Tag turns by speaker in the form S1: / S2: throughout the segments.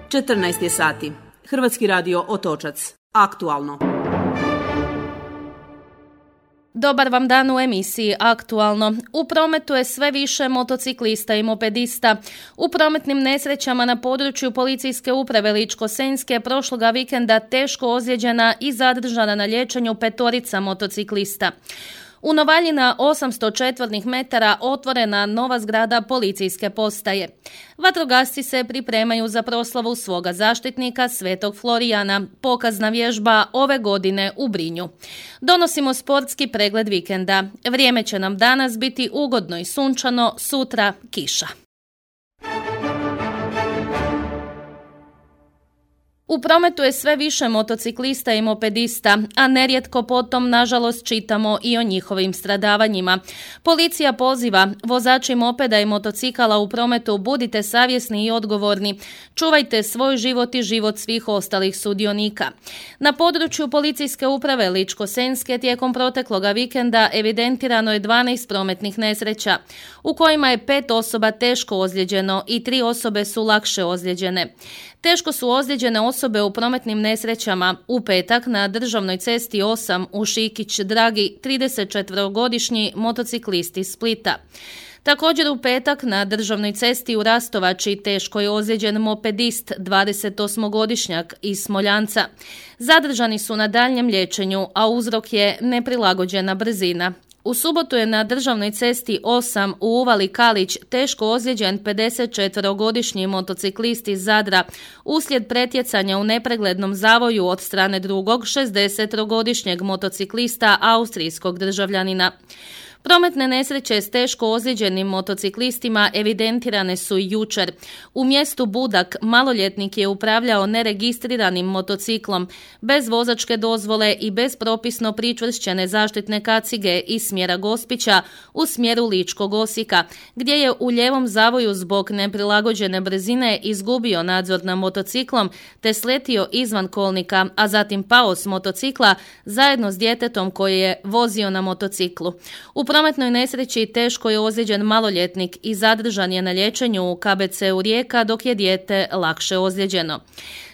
S1: 14 je sati. Hrvatski radio Otočac. Aktualno.
S2: Dobar vam dan u emisiji Aktualno. U prometu je sve više motociklista i mopedista. U prometnim nesrećama na području policijske uprave Ličko-senjske prošloga vikenda teško ozlijeđena i zadržana na liječenju 5 motociklista. U Novalji na 800 četvornih metara otvorena nova zgrada policijske postaje. Vatrogasci se pripremaju za proslavu svoga zaštitnika Svetog Florijana, pokazna vježba ove godine u Brinju. Donosimo sportski pregled vikenda. Vrijeme će nam danas biti ugodno i sunčano, sutra kiša. U prometu je sve više motociklista i mopedista, a nerijetko potom, nažalost, čitamo i o njihovim stradavanjima. Policija poziva vozači mopeda i motocikala u prometu, budite savjesni i odgovorni, čuvajte svoj život i život svih ostalih sudionika. Na području policijske uprave Ličko-senjske tijekom protekloga vikenda evidentirano je 12 prometnih nesreća, u kojima je 5 osoba teško ozlijeđeno i 3 osobe su lakše ozlijeđene. Teško su ozlijeđene osobe u prometnim nesrećama u petak na državnoj cesti 8 u Šikić-Dragi 34-godišnji motociklist iz Splita. Također u petak na državnoj cesti u Rastovači teško je ozlijeđen mopedist 28-godišnjak iz Smoljanca. Zadržani su na daljnjem liječenju, a uzrok je neprilagođena brzina. U subotu je na državnoj cesti 8 u Uvali Kalić teško ozlijeđen 54-godišnji motociklist iz Zadra uslijed pretjecanja u nepreglednom zavoju od strane drugog 60-godišnjeg motociklista austrijskog državljanina. Prometne nesreće s teško ozlijeđenim motociklistima evidentirane su i jučer. U mjestu Budak maloljetnik je upravljao neregistriranim motociklom, bez vozačke dozvole i bez propisno pričvršćene zaštitne kacige iz smjera Gospića u smjeru Ličkog Osijeka, gdje je u lijevom zavoju zbog neprilagođene brzine izgubio nadzor nad motociklom te sletio izvan kolnika, a zatim pao s motocikla zajedno s djetetom koje je vozio na motociklu. U prometnoj nesreći teško je ozlijeđen maloljetnik i zadržan je na liječenju u KBC-u Rijeka dok je dijete lakše ozlijeđeno.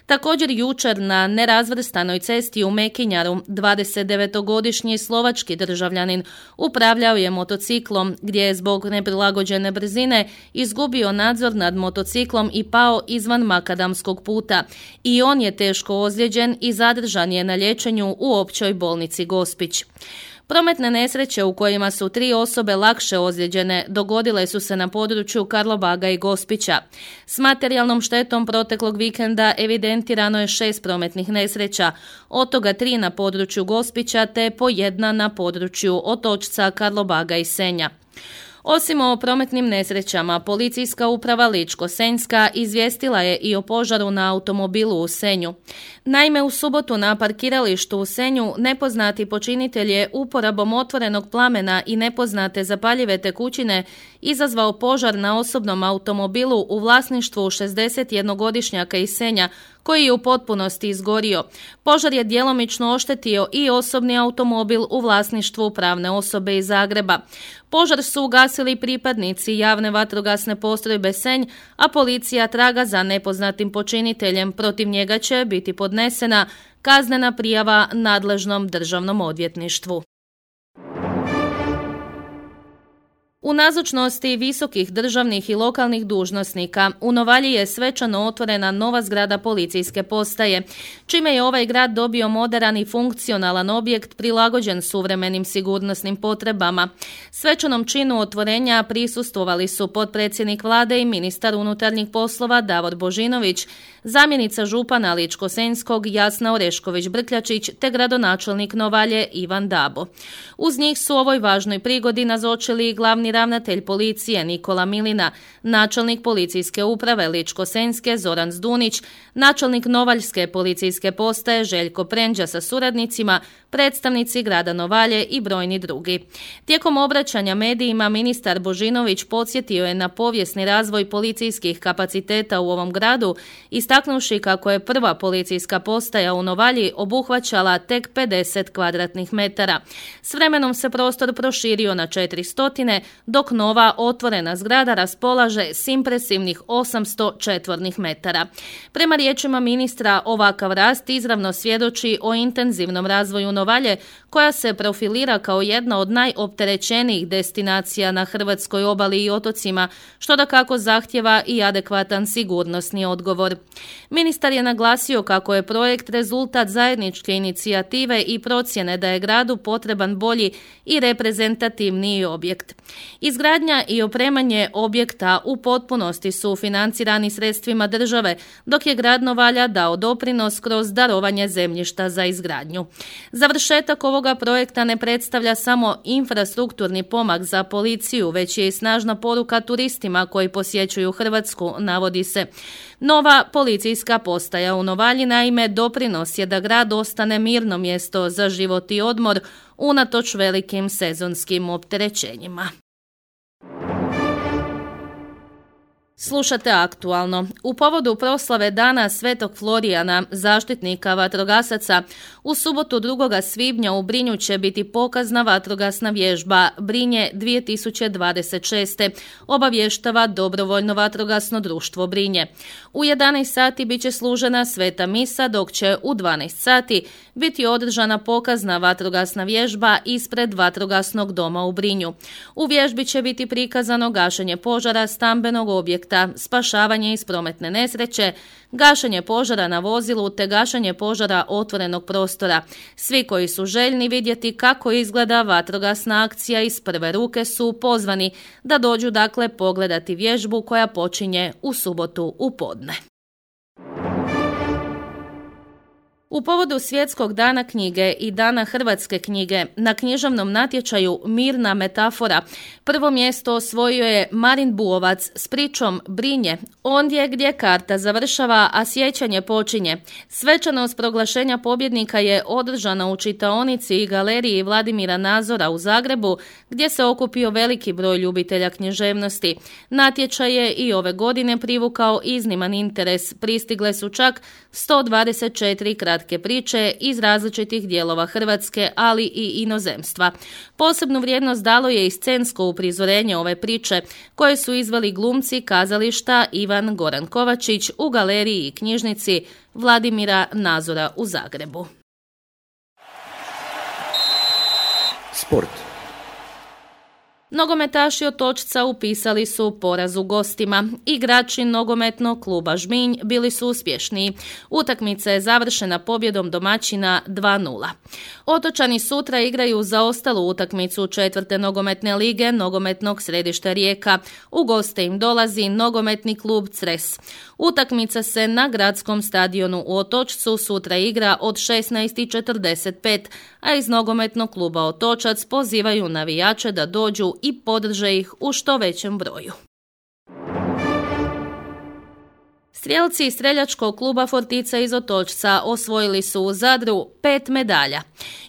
S2: Također jučer na nerazvrstanoj cesti u Mekinjaru 29-godišnji slovački državljanin upravljao je motociklom gdje je zbog neprilagođene brzine izgubio nadzor nad motociklom i pao izvan makadamskog puta. I on je teško ozlijeđen i zadržan je na liječenju u općoj bolnici Gospić. Prometne nesreće u kojima su 3 osobe lakše ozlijeđene dogodile su se na području Karlobaga i Gospića. S materijalnom štetom proteklog vikenda evidentirano je 6 prometnih nesreća, od toga 3 na području Gospića te po 1 na području Otočca, Karlobaga i Senja. Osim o prometnim nesrećama, policijska uprava Ličko-senjska izvijestila je i o požaru na automobilu u Senju. Naime, u subotu na parkiralištu u Senju nepoznati počinitelj je uporabom otvorenog plamena i nepoznate zapaljive tekućine izazvao požar na osobnom automobilu u vlasništvu 61-godišnjaka iz Senja, koji je u potpunosti izgorio. Požar je djelomično oštetio i osobni automobil u vlasništvu pravne osobe iz Zagreba. Požar su ugasili pripadnici javne vatrogasne postrojbe Senj, a policija traga za nepoznatim počiniteljem. Protiv njega će biti podnesena kaznena prijava nadležnom državnom odvjetništvu. U nazočnosti visokih državnih i lokalnih dužnosnika u Novalji je svečano otvorena nova zgrada policijske postaje, čime je ovaj grad dobio moderan i funkcionalan objekt prilagođen suvremenim sigurnosnim potrebama. Svečanom činu otvorenja prisustvovali su potpredsjednik vlade i ministar unutarnjih poslova Davor Božinović, zamjenica župana Ličko-senjskog Jasna Orešković-Brkljačić te gradonačelnik Novalje Ivan Dabo. Uz njih su ovoj važnoj prigodi nazočili i glavni ravnatelj policije Nikola Milina, načelnik policijske uprave Ličko-senjske Zoran Zdunić, načelnik Novaljske policijske postaje Željko Prendža sa suradnicima, predstavnici grada Novalje i brojni drugi. Tijekom obraćanja medijima ministar Božinović podsjetio je na povijesni razvoj policijskih kapaciteta u ovom gradu, istaknuvši kako je prva policijska postaja u Novalji obuhvaćala tek 50 kvadratnih metara. S vremenom se prostor proširio na 400, dok nova otvorena zgrada raspolaže s impresivnih 800 četvornih metara. Prema riječima ministra, ovakav rast izravno svjedoči o intenzivnom razvoju Novalje, koja se profilira kao jedna od najopterećenijih destinacija na hrvatskoj obali i otocima, što dakako zahtjeva i adekvatan sigurnosni odgovor. Ministar je naglasio kako je projekt rezultat zajedničke inicijative i procjene da je gradu potreban bolji i reprezentativniji objekt. Izgradnja i opremanje objekta u potpunosti su financirani sredstvima države, dok je grad Novalja dao doprinos kroz darovanje zemljišta za izgradnju. Završetak ovoga projekta ne predstavlja samo infrastrukturni pomak za policiju, već je i snažna poruka turistima koji posjećuju Hrvatsku, navodi se. Nova policijska postaja u Novalji naime doprinos je da grad ostane mirno mjesto za život i odmor unatoč velikim sezonskim opterećenjima. Slušate Aktualno. U povodu proslave Dana Svetog Florijana, zaštitnika vatrogasaca, u subotu 2. svibnja u Brinju će biti pokazna vatrogasna vježba Brinje 2026. obavještava Dobrovoljno vatrogasno društvo Brinje. U 11 sati bit će služena sveta misa, dok će u 12 sati biti održana pokazna vatrogasna vježba ispred vatrogasnog doma u Brinju. U vježbi će biti prikazano gašenje požara stambenog objekta, spašavanje iz prometne nesreće, gašenje požara na vozilu te gašenje požara otvorenog prostora. Svi koji su željni vidjeti kako izgleda vatrogasna akcija iz prve ruke su pozvani da dođu dakle pogledati vježbu koja počinje u subotu u podne. U povodu Svjetskog dana knjige i Dana hrvatske knjige na književnom natječaju Mirna metafora prvo mjesto osvojio je Marin Buovac s pričom Brinje, ondje gdje karta završava, a sjećanje počinje. Svečanost proglašenja pobjednika je održana u čitaonici i galeriji Vladimira Nazora u Zagrebu, gdje se okupio veliki broj ljubitelja književnosti. Natječaj je i ove godine privukao izniman interes. Pristigle su čak 124 kratke priče iz različitih dijelova Hrvatske, ali i inozemstva. Posebnu vrijednost dalo je i scensko uprizorenje ove priče, koje su izveli glumci kazališta Ivan Goran Kovačić u galeriji i knjižnici Vladimira Nazora u Zagrebu.
S3: Sport.
S2: Nogometaši Otočca upisali su poraz u gostima. Igrači nogometnog kluba Žminj bili su uspješniji. Utakmica je završena pobjedom domaćina 2:0. Otočani sutra igraju za ostalu utakmicu 4. nogometne lige nogometnog središta Rijeka. U goste im dolazi nogometni klub Cres. Utakmica se na gradskom stadionu u Otočcu sutra igra od 16:45, a iz nogometnog kluba Otočac pozivaju navijače da dođu i podrže ih u što većem broju. Strijelci streljačkog kluba Fortica iz Otočca osvojili su u Zadru 5 medalja.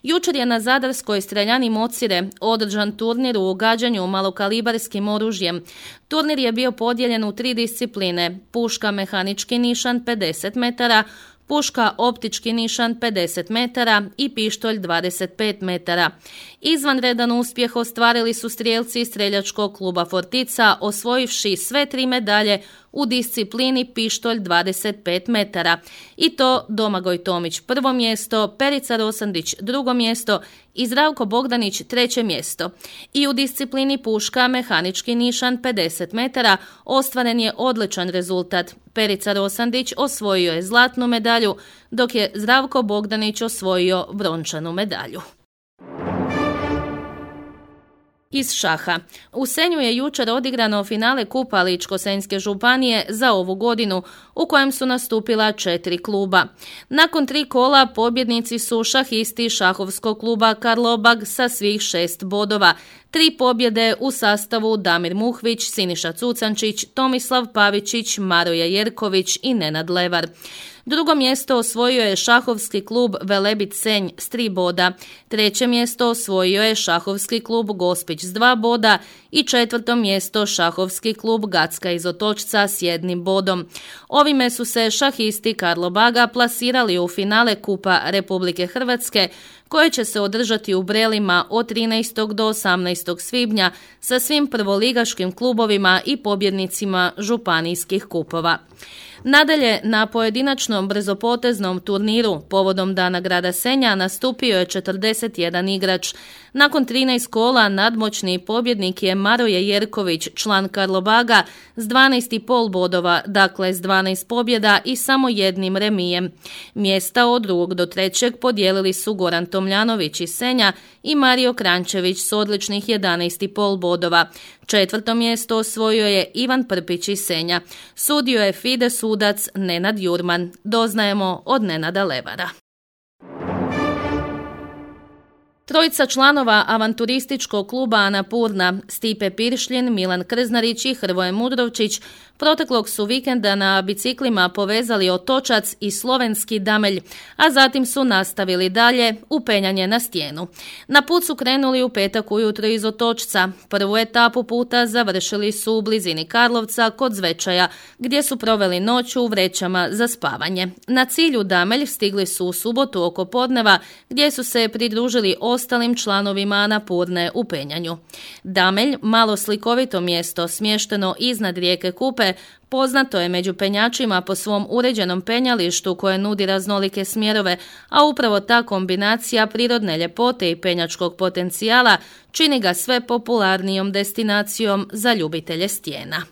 S2: Jučer je na zadarskoj streljani Mocire održan turnir u gađanju malokalibarskim oružjem. Turnir je bio podijeljen u 3 discipline: puška mehanički nišan 50 metara, puška optički nišan 50 metara i pištolj 25 metara. Izvanredan uspjeh ostvarili su strijelci iz streljačkog kluba Fortica, osvojivši sve 3 medalje u disciplini pištolj 25 metara. I to Domagoj Tomić prvo mjesto, Perica Rosandić drugo mjesto i Zdravko Bogdanić treće mjesto. I u disciplini puška mehanički nišan 50 metara ostvaren je odličan rezultat. Perica Rosandić osvojio je zlatnu medalju, dok je Zdravko Bogdanić osvojio brončanu medalju. Iz šaha. U Senju je jučer odigrano finale Kupa Ličko-senjske županije za ovu godinu, u kojem su nastupila 4 kluba. Nakon 3 kola pobjednici su šahisti šahovskog kluba Karlobag sa svih 6 bodova. 3 pobjede u sastavu Damir Muhvić, Siniša Cucančić, Tomislav Pavičić, Maroja Jerković i Nenad Levar. Drugo mjesto osvojio je šahovski klub Velebit Senj s 3 boda. Treće mjesto osvojio je šahovski klub Gospić s 2 boda i četvrto mjesto šahovski klub Gacka iz Otočca s 1 bodom. Ovime su se šahisti Karlobaga plasirali u finale Kupa Republike Hrvatske, koje će se održati u Brelima od 13. do 18. svibnja sa svim prvoligaškim klubovima i pobjednicima županijskih kupova. Nadalje, na pojedinačnom brzopoteznom turniru povodom Dana grada Senja nastupio je 41 igrač. Nakon 13 kola nadmoćni pobjednik je Maroje Jerković, član Karlobaga, s 12,5 bodova, dakle s 12 pobjeda i samo jednim remijem. Mjesta od 2. do 3. podijelili su Goran Tomljanović iz Senja i Mario Krančević s odličnih 11,5 bodova. 4. mjesto osvojio je Ivan Prpić iz Senja. Sudio je FIDE sudac Nenad Jurman. Doznajemo od Nenada Levara. Trojica članova avanturističkog kluba Anapurna, Stipe Piršljin, Milan Krznarić i Hrvoje Mudrovčić, proteklog su vikenda na biciklima povezali Otočac i slovenski Damelj, a zatim su nastavili dalje u penjanje na Stijenu. Na put su krenuli u petak ujutro iz Otočca. Prvu etapu puta završili su u blizini Karlovca kod Zvečaja, gdje su proveli noć u vrećama za spavanje. Na cilju Damelj stigli su u subotu oko podneva, gdje su se pridružili ostalim članovima Anapurne u penjanju. Damelj, malo slikovito mjesto smješteno iznad rijeke Kupe, poznato je među penjačima po svom uređenom penjalištu koje nudi raznolike smjerove, a upravo ta kombinacija prirodne ljepote i penjačkog potencijala čini ga sve popularnijom destinacijom za ljubitelje stijena.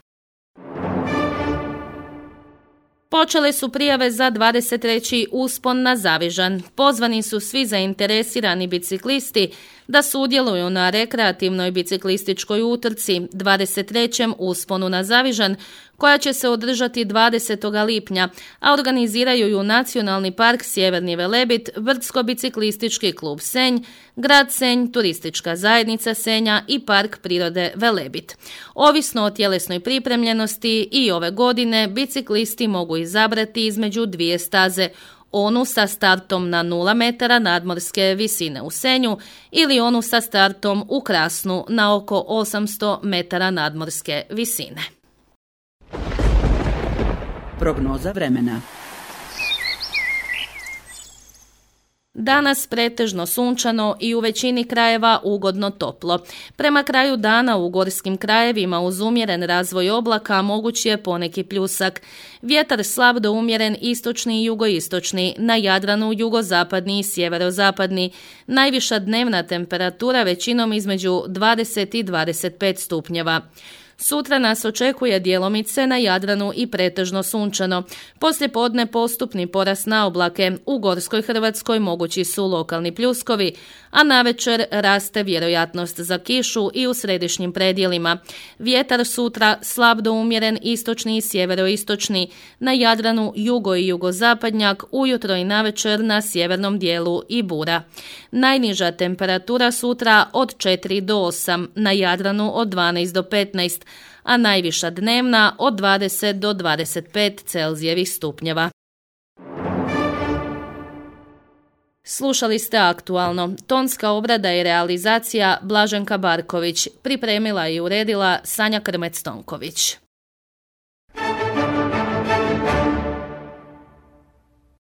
S2: Počele su prijave za 23. uspon na Zavižan. Pozvani su svi zainteresirani biciklisti da sudjeluju na rekreativnoj biciklističkoj utrci 23. usponu na Zavižan, koja će se održati 20. lipnja, a organiziraju ju Nacionalni park Sjeverni Velebit, Brdsko-biciklistički klub Senj, grad Senj, Turistička zajednica Senja i Park prirode Velebit. Ovisno o tjelesnoj pripremljenosti i ove godine biciklisti mogu izabrati između dvije staze, onu sa startom na 0 metara nadmorske visine u Senju ili onu sa startom u Krasnu na oko 800 metara nadmorske visine.
S1: Prognoza vremena.
S2: Danas pretežno sunčano i u većini krajeva ugodno toplo. Prema kraju dana u gorskim krajevima uz umjeren razvoj oblaka moguć je poneki pljusak. Vjetar slab do umjeren istočni i jugoistočni, na Jadranu jugozapadni i sjeverozapadni. Najviša dnevna temperatura većinom između 20 i 25 stupnjeva. Sutra nas očekuje djelomice na Jadranu i pretežno sunčano. Poslijepodne postupni porast na oblake. U gorskoj Hrvatskoj mogući su lokalni pljuskovi, a navečer raste vjerojatnost za kišu i u središnjim predjelima. Vjetar sutra slab do umjeren istočni i sjeveroistočni. Na Jadranu jugo i jugozapadnjak, ujutro i navečer na sjevernom dijelu i bura. Najniža temperatura sutra od 4 do 8, na Jadranu od 12 do 15, a najviša dnevna od 20 do 25 Celzijevih stupnjeva. Slušali ste Aktualno. Tonska obrada i realizacija Blaženka Barković. Pripremila i uredila Sanja Krmec-Tonković.